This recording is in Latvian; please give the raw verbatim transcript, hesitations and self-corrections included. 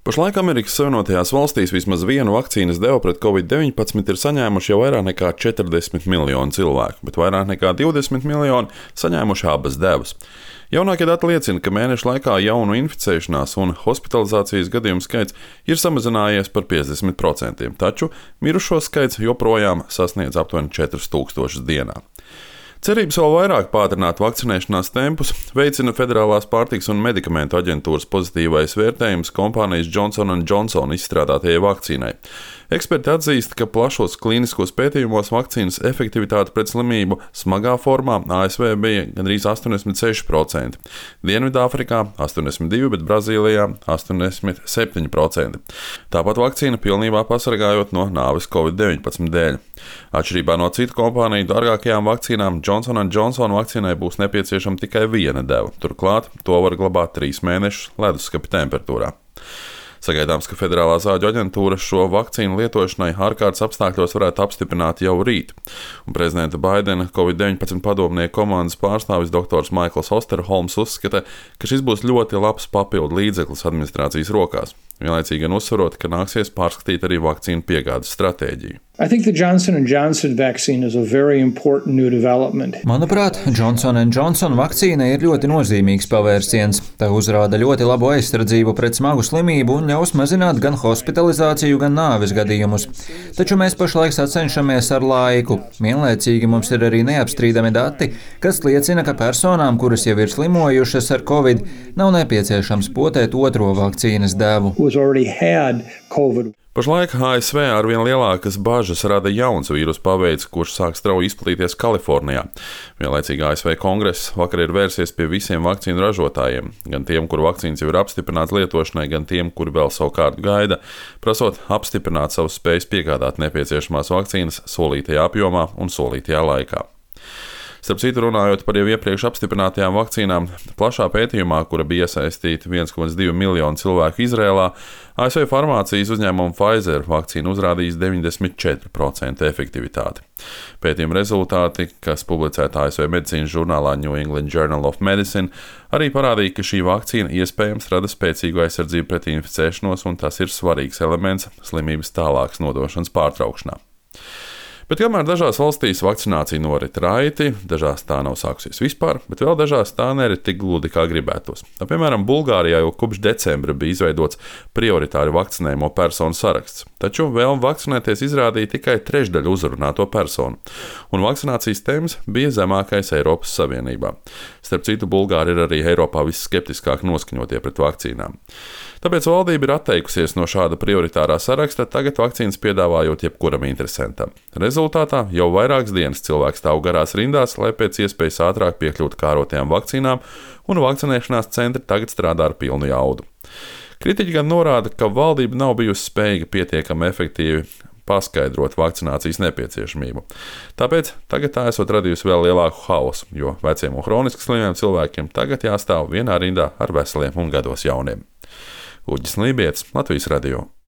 Pašlaik Amerikas Savienotajās valstīs vismaz vienu vakcīnas devu pret covid deviņpadsmit ir saņēmuši jau vairāk nekā četrdesmit miljoni cilvēku, bet vairāk nekā divdesmit miljoni saņēmuši abas devas. Jaunākie dati liecina, ka mēneša laikā jaunu inficēšanās un hospitalizācijas gadījumu skaits ir samazinājies par piecdesmit procentiem, taču mirušo skaits joprojām sasniedz aptuveni četrus tūkstošus dienā. Cerības vēl vairāk pātrināt vakcinēšanās tempus veicina Federālās pārtikas un medikamentu aģentūras pozitīvais vērtējums kompānijas Johnson and Johnson izstrādātajai vakcīnai. Eksperti atzīst, ka plašos klīniskos pētījumos vakcīnas efektivitāte pret slimību smagā formā A S V bija gandrīz astoņdesmit seši procenti, Dienvidāfrikā astoņdesmit divi procenti, bet Brazīlijā astoņdesmit septiņi procenti. Tāpat vakcīna pilnībā pasargājot no nāves covid deviņpadsmit dēļ. Atšķirībā no citu kompāniju dārgākajām vakcīnām, Johnson and Johnson vakcīnai būs nepieciešama tikai viena deva. Turklāt to var glabāt trīs mēnešus leduskapa temperatūrā. Sagaidāms, ka Federālā zāļu aģentūra šo vakcīnu lietošanai ārkārtas apstākļos varētu apstiprināt jau rīt. Un prezidenta Baidena covid deviņpadsmit padomnieku komandas pārstāvis doktors Maikls Osterholms uzskata, ka šis būs ļoti labs papildu līdzeklis administrācijas rokās, vienlaicīgi gan uzsverot, ka nāksies pārskatīt arī vakcīnu piegādes stratēģiju. I think the Johnson and Johnson vaccine is a very important new development. Manuprāt, Johnson and Johnson vakcīna ir ļoti nozīmīgs pavērsiens. Tā uzrāda ļoti labu aizsardzību pret smagu slimību un ļaus mazināt gan hospitalizāciju, gan nāves gadījumus. Taču mēs pašlaik sacenšamies ar laiku. Vienlaicīgi mums ir arī neapstrīdami dati, kas liecina, ka personām, kuras jau ir slimojušas ar covid, nav nepieciešams potēt otro vakcīnas devu. Pašlaik A S V arvien lielākas bažas rada jauns vīrusu paveids, kurš sāk strauji izplatīties Kalifornijā. Vienlaicīgi A S V kongress vakar ir vērsies pie visiem vakcīnu ražotājiem, gan tiem, kuru vakcīnas jau ir apstiprināts lietošanai, gan tiem, kuri vēl savu kārtu gaida, prasot apstiprināt savus spējas piegādāt nepieciešamās vakcīnas solītajā apjomā un solītajā laikā. Starp citu, runājot par jau iepriekš apstiprinātajām vakcīnām, plašā pētījumā, kura bija iesaistīta viens komats divi miljonu cilvēku Izrēlā, A S V farmācijas uzņēmuma Pfizer vakcīna uzrādījis deviņdesmit četri procenti efektivitāti. Pētījuma rezultāti, kas publicēti A S V medicīnas žurnālā New England Journal of Medicine, arī parādīja, ka šī vakcīna iespējams rada spēcīgu aizsardzību pret inficēšanos, un tas ir svarīgs elements slimības tālākas nodošanas pārtraukšanā. Bet kamēr dažās valstīs vakcinācija norit raiti, dažās tā nav sākusies vispār, bet vēl dažās tā nerit tik gludi, kā gribētos. Piemēram, Bulgārijā jau kopš decembra bija izveidots prioritāri vakcinējumu personu saraksts, taču vēlme vakcinēties izrādīja tikai trešdaļu uzrunāto personu, un vakcinācijas temps bija zemākais Eiropas Savienībā. Starp citu, Bulgāri ir arī Eiropā visskeptiskāk noskaņotie pret vakcīnām. Tāpēc valdība ir atteikusies no šāda prioritārā saraksta, tagad vakcīnas piedāvājot jebkuram interesantam. Rezultātā jau vairākas dienas cilvēks stāv garās rindās, lai pēc iespējas ātrāk piekļūtu kārotajām vakcīnām, un vakcinēšanās centri tagad strādā ar pilnu jaudu. Kritiķi gan norāda, ka valdība nav bijusi spējīga pietiekami efektīvi paskaidrot vakcinācijas nepieciešamību. Tāpēc tagad tā esot radījusi vēl lielāku haosu, jo veciem un hroniski slimiem cilvēkiem tagad jāstāv vienā rindā ar veseliem un gados jauniem. Uģis Lībietis, Latvijas radio.